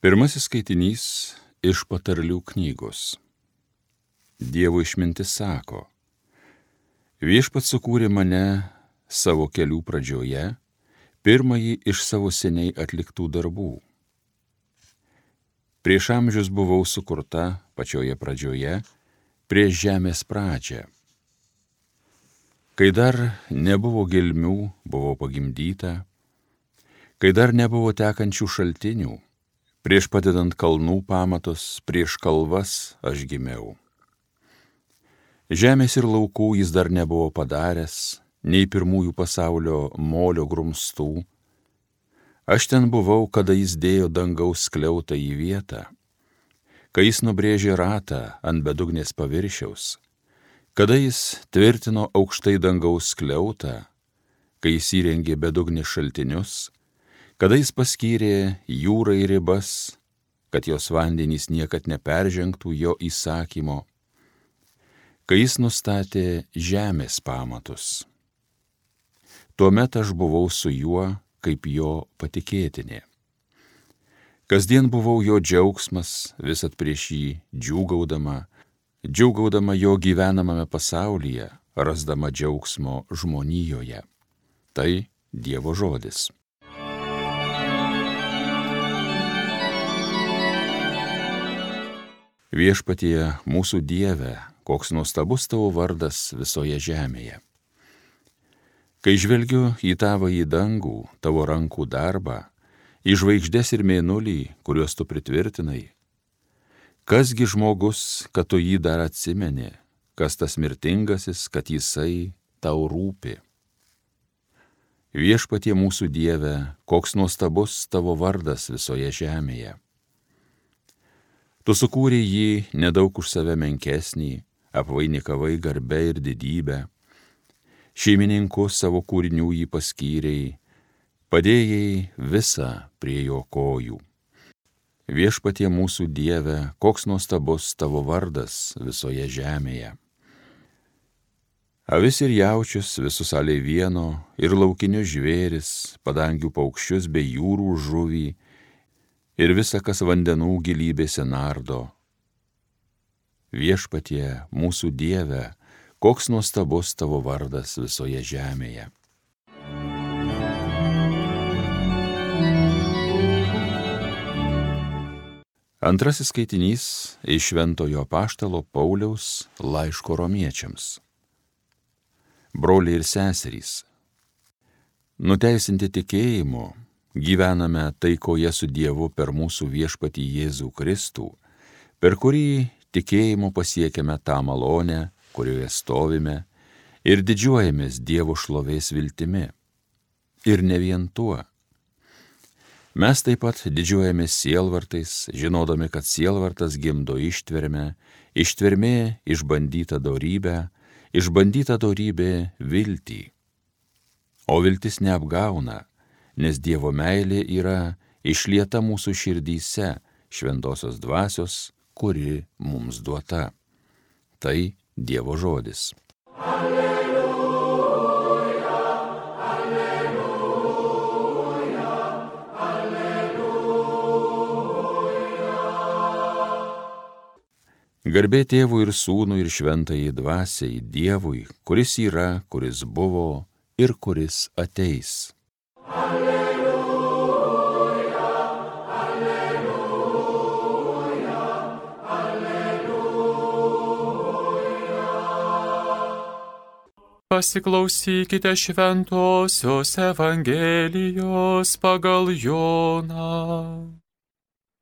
Pirmasis skaitinys iš Patarlių knygos. Dievo išmintis sako: Viešpats sukūrė mane savo kelių pradžioje, pirmąjį iš savo seniai atliktų darbų. Prieš amžius buvau sukurta pačioje pradžioje, prieš žemės pradžią. Kai dar nebuvo gelmių, buvau pagimdyta, kai dar nebuvo tekančių šaltinių, prieš padedant kalnų pamatus, prieš kalvas aš gimiau. Žemės ir laukų jis dar nebuvo padaręs, nei pirmųjų pasaulio molio grumstų. Aš ten buvau, kada jis dėjo dangaus skliautą į vietą, kai jis nubrėžė ratą ant bedugnės paviršiaus, kada jis tvirtino aukštai dangaus skliautą, kai jis įrengė bedugnės šaltinius, kada jis paskyrė jūrai ribas, kad jos vandenys niekad neperžengtų jo įsakymo, kai jis nustatė žemės pamatus. Tuomet aš buvau su juo kaip jo patikėtinė. Kasdien buvau jo džiaugsmas, visad prieš jį džiūgaudama jo gyvenamame pasaulyje, rasdama džiaugsmo žmonijoje. Tai Dievo žodis. Viešpatie mūsų Dieve, koks nuostabus tavo vardas visoje žemėje. Kai žvelgiu į tavąjį dangų, tavo rankų darbą, į žvaigždes ir mėnulį, kuriuos tu pritvirtinai, kasgi žmogus, kad tu jį dar atsimeni, kas tas mirtingasis, kad jisai tau rūpi. Viešpatie mūsų Dieve, koks nuostabus tavo vardas visoje žemėje. Tu sukūrei jį nedaug už save menkesnį, apvainikavai garbę ir didybę, šeimininku savo kūrinių jį paskyrei, padėjai visą prie jo kojų. Viešpatie mūsų Dieve, koks nuostabus tavo vardas visoje žemėje. Avis ir jaučius, visus aliai vieno, ir laukinius žvėris, padangių paukščius bei jūrų žuvį, ir visa, kas vandenų gilybėse nardo. Viešpatie mūsų Dieve, koks nuostabus tavo vardas visoje žemėje. Antrasis skaitinys iš Šventojo Apaštalo Pauliaus laiško romiečiams. Broliai ir seserys, nuteisinti tikėjimu, gyvename taikoje su Dievu per mūsų viešpatį Jėzų Kristų, per kurį tikėjimu pasiekėme tą malonę, kurioje stovime, ir didžiuojamės Dievo šlovės viltimi. Ir ne vien tuo. Mes taip pat didžiuojamės sielvartais, žinodami, kad sielvartas gimdo ištvermę, ištvermė išbandyta dorybę, išbandyta dorybė viltį. O viltis neapgauna, nes Dievo meilė yra išlieta mūsų širdyse šventosios dvasios, kuri mums duota. Tai Dievo žodis. Alleluja, alleluja, alleluja. Garbė Tėvui ir Sūnui ir Šventajai Dvasiai, Dievui, kuris yra, kuris buvo ir kuris ateis. Alleluja, alleluja, alleluja. Pasiklausykite šventosios Evangelijos pagal Joną.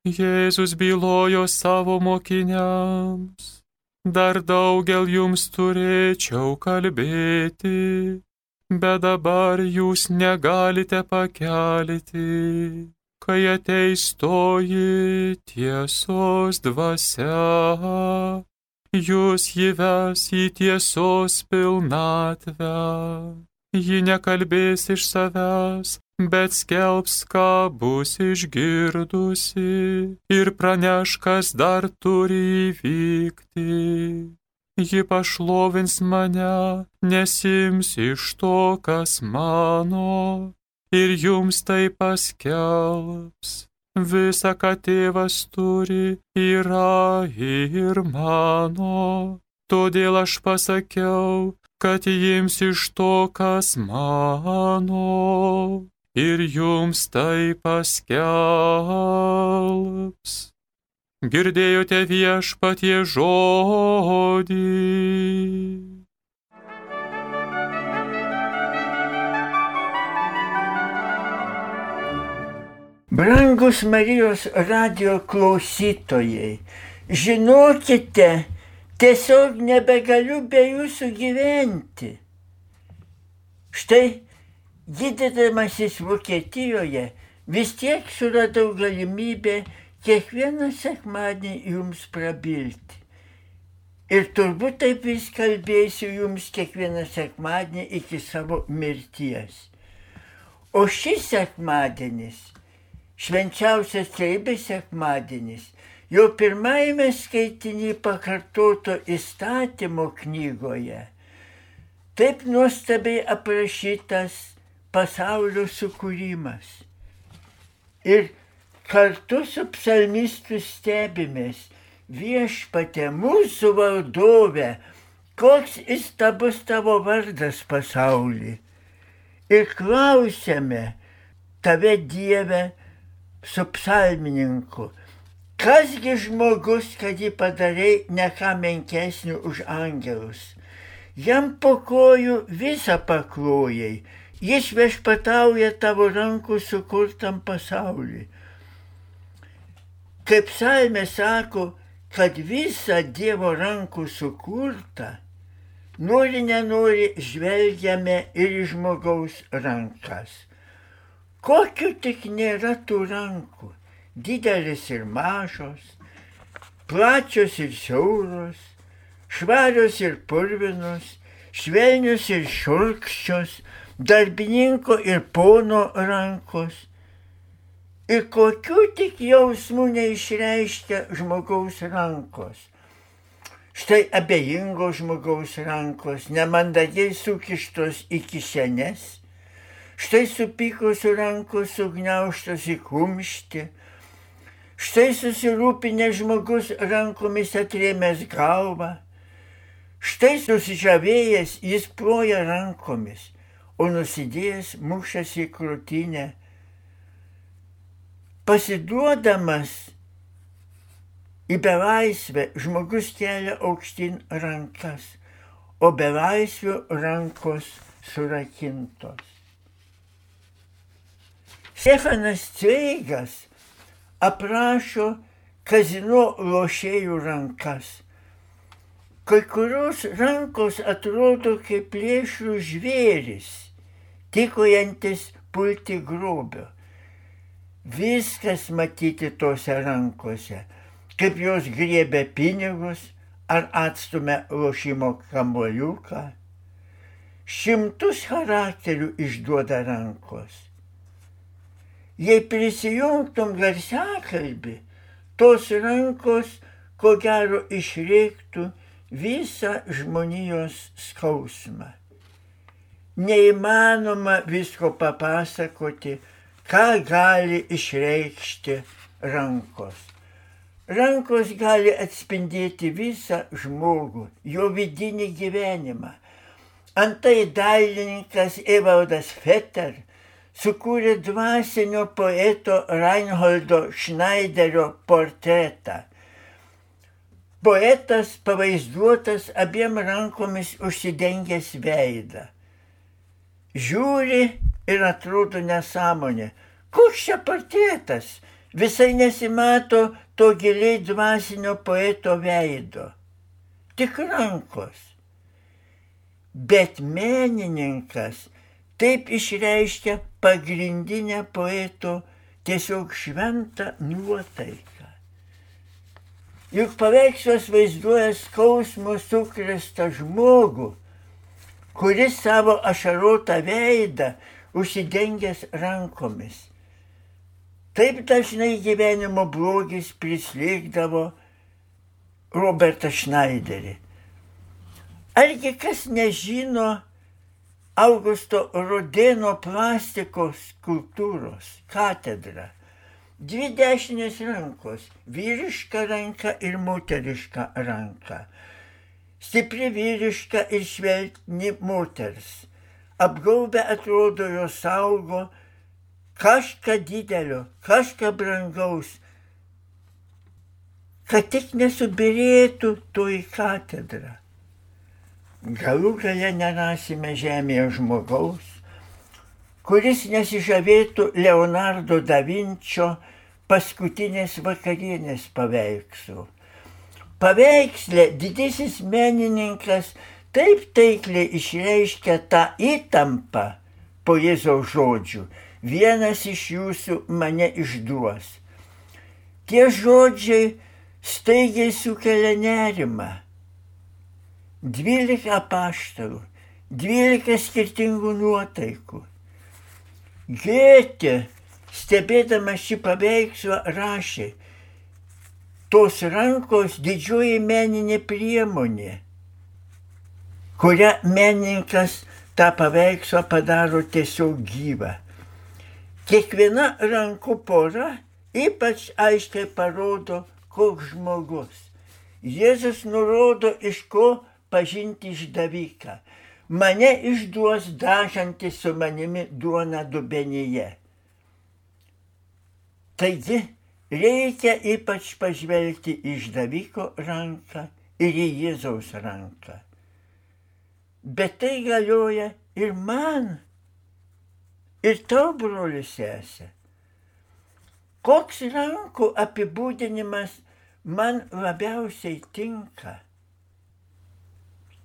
Jėzus bylojo savo mokiniams: dar daugel jums turėčiau kalbėti, bet dabar jūs negalite pakelti, kai ateis toji tiesos dvasia, jūs jį ves į tiesos pilnatvę. Ji nekalbės iš savęs, bet skelbs, ką bus išgirdusi, ir praneš, kas dar turi įvykti. Ji pašlovins mane, nesiims iš to, kas mano, ir jums tai paskelbs. Visa, ką tėvas turi, yra ir mano. Todėl aš pasakiau, kad jims iš to, kas mano, ir jums tai paskelbs. Girdėjote Viešpaties žodį. Brangus Marijos radijo klausytojai, žinokite, tiesiog nebegaliu be jūsų gyventi. Štai, gydydamasis Vokietijoje, vis tiek suradau galimybę kiekvieną sekmadienį jums prabilti. Ir turbūt taip vis kalbėsiu jums kiekvieną sekmadienį iki savo mirties. O šis sekmadienis, švenčiausias trejybės sekmadienis, jau pirmajame skaitinį pakartoto įstatymo knygoje, taip nuostabiai aprašytas pasaulio sukūrimas. Ir kartu su psalmistu stebimės, Viešpatie, mūsų valdove, koks įstabus tavo vardas pasauly. Ir klausiame tave, Dieve, su psalmininku, kasgi žmogus, kad jį padarei ne ką menkesnių už angelus. Jam po kojų visą paklojai, jis viešpatauja tavo rankų sukurtam pasauliui. Kaip psalmė sako, kad visa Dievo rankų sukurta, nori nenori žvelgiame ir į žmogaus rankas. Kokių tik nėra tų rankų, didelis ir mažos, plačios ir siauros, švarios ir purvinos, švelnios ir šiurkščios, darbininko ir pono rankos. Ir kokių tik jausmų neišreiškia žmogaus rankos. Štai abejingo žmogaus rankos, nemandagiai sukištos į kišenes, štai supykusių rankos sugniaužtos į kumštį, štai susirūpinę žmogus rankomis atrėmęs galvą, štai susižavėjęs jis ploja rankomis, o nusidėjęs mušasi į krūtinę. Pasiduodamas į belaisvę žmogus kelia aukštyn rankas, o belaisvių rankos surakintos. Stefanas Cveigas aprašo kazino lošėjų rankas. Kai kurios rankos atrodo kaip plėšrų žvėris, tikojantis pulti grobio. Viskas matyti tose rankose, kaip jos griebia pinigus ar atstumia lošimo kamuoliuką. Šimtus charakterių išduoda rankos. Jei prisijungtum garsiakalbį, tos rankos ko gero išreiktų visą žmonijos skausmą. Neįmanoma visko papasakoti, ką gali išreikšti rankos. Rankos gali atspindėti visą žmogų, jo vidinį gyvenimą. Antai dailininkas Evaldas Fetter sukūrė dvasinio poeto Reinholdo Schneiderio portretą. Poetas pavaizduotas abiem rankomis užsidengęs veidą. Žiūri ir atrodo nesąmonė. Koks čia portretas? Visai nesimato to giliai dvasinio poeto veido. Tik rankos. Bet menininkas taip išreiškia pagrindinę poeto tiesiog šventą nuotaiką. Juk paveikslas vaizduoja skausmo sukrėstą žmogų, kuris savo ašarotą veidą užsidengęs rankomis. Taip dažnai gyvenimo blogis prislėgdavo Robertą Schneiderį. Argi kas nežino Augusto Rodėno plastikos skulptūros katedrą? Dvi dešinės rankos - vyriška ranka ir moteriška ranka. Stipri vyriška ir švelni moters. Apgaubę atrodo jos saugo kažką didelio, kažką brangaus, kad tik nesubirėtų toji katedra. Galų gale nerasime žemėje žmogaus, kuris nesižavėtų Leonardo da Vinčio paskutinės vakarienės paveikslu. Paveiksle didysis menininkas taip taikliai išreiškia tą įtampą po Jėzaus žodžių: vienas iš jūsų mane išduos. Tie žodžiai staigiai sukelia nerimą. 12 apaštalų, 12 skirtingų nuotaikų. Gėtė, stebėdamas šį paveikslą, rašė: tos rankos didžioji meninė priemonė, kurią menininkas tą paveikslą padaro tiesiog gyvą. Kiekviena rankų pora ypač aiškiai parodo, koks žmogus. Jėzus nurodo, iš ko pažinti išdaviką. Mane išduos dažantis su manimi duona dubenyje. Taigi, reikia ypač pažvelgti į išdaviko ranką ir į Jėzaus ranką. Bet tai galioja ir man, ir tau, broli sesė. Koks rankų apibūdinimas man labiausiai tinka?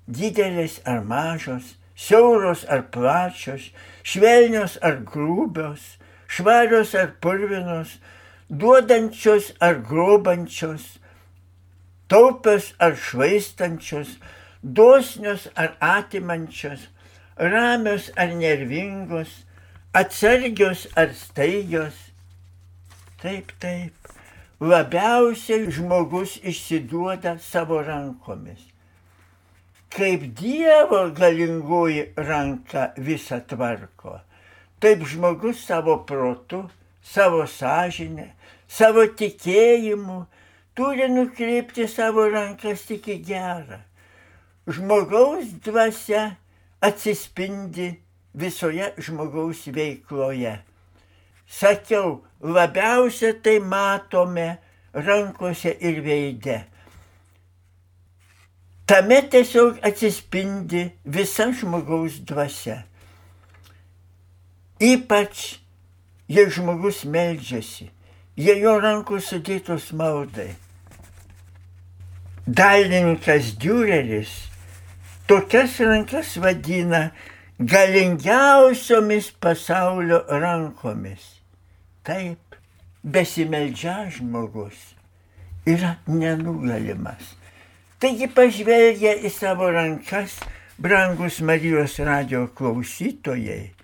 Didelės ar mažos, siauros ar plačios, švelnios ar grūbios, švarios ar purvinos, duodančios ar grobančios, taupios ar švaistančios, dosnios ar atimančios, ramios ar nervingos, atsargios ar staigios. Taip, labiausiai žmogus išsiduoda savo rankomis. Kaip Dievo galingoji ranka visą tvarko, taip žmogus savo protu, savo sąžinę, savo tikėjimu turi nukreipti savo rankas tik į gerą. Žmogaus dvasia atsispindi visoje žmogaus veikloje. Sakiau, labiausia tai matome rankose ir veide. Tame tiesiog atsispindi visa žmogaus dvasia. Ypač, jei žmogus meldžiasi, jei jo rankos sudėtos maldai. Dailininkas Düreris tokias rankas vadina galingiausiomis pasaulio rankomis. Taip, besimeldžiąs žmogus yra nenugalimas. Taigi pažvelgę į savo rankas, brangus Marijos radijo klausytojai,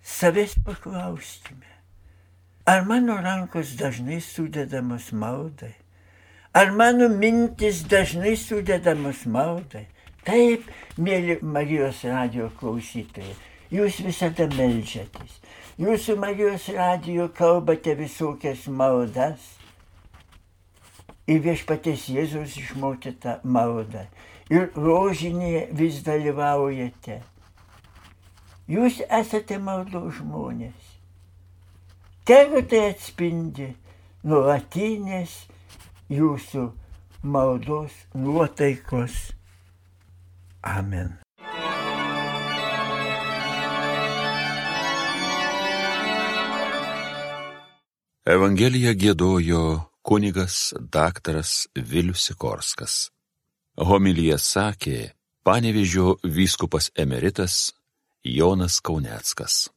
savęs paklauskime, ar mano rankos dažnai sudedamos maldai? Ar mano mintis dažnai sudedamos maldai? Taip, mėly Marijos radijo klausytojai, jūs visada meldžiatės. Jūsų Marijos radijo kalbate visokias maldas. Ir viešpaties Jėzaus išmokytą maldą. Ir rožinėje vis dalyvaujate. Jūs esate maldos žmonės. Tegu tai atspindi nuolatinės jūsų maldos nuotaikos. Amen. Evangeliją giedojo kunigas daktaras Vilius Sikorskas. Homiliją sakė Panevėžio vyskupas emeritas Jonas Kauneckas.